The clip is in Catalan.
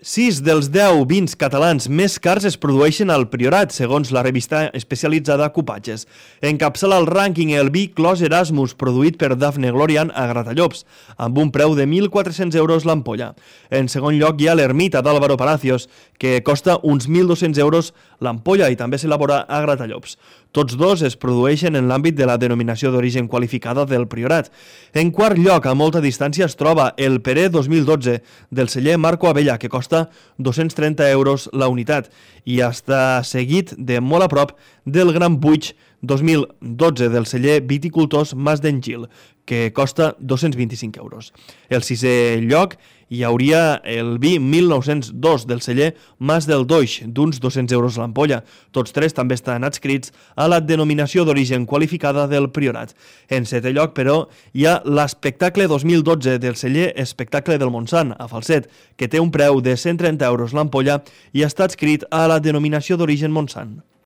6 dels 10 vins catalans més cars es produeixen al Priorat, segons la revista especialitzada Cupatges. Encapçala el rànquing el vi Clos Erasmus, produït per Dafne Glorian a Gratallops, amb un preu de 1.400 euros l'ampolla. En segon lloc hi ha l'Ermita d'Álvaro Palacios, que costa uns 1.200 euros l'ampolla i també s'elabora a Gratallops. Tots dos es produeixen en l'àmbit de la denominació d'origen qualificada del Priorat. En quart lloc, a molta distància, es troba el Peré 2012 del celler Marco Abella, que costa 230 euros la unitat, i està seguit de molt a prop del Gran Puig 2012 del celler Viticultors Mas d'Engil, que costa 225 euros. El sisè lloc hi hauria el vi 1902 del celler Mas del Doix, d'uns 200 euros l'ampolla. Tots tres també estan adscrits a la denominació d'origen qualificada del Priorat. En setè lloc, però, hi ha l'Espectacle 2012 del celler Espectacle del Montsant, a Falset, que té un preu de 130 euros l'ampolla i està adscrit a la denominació d'origen Montsant.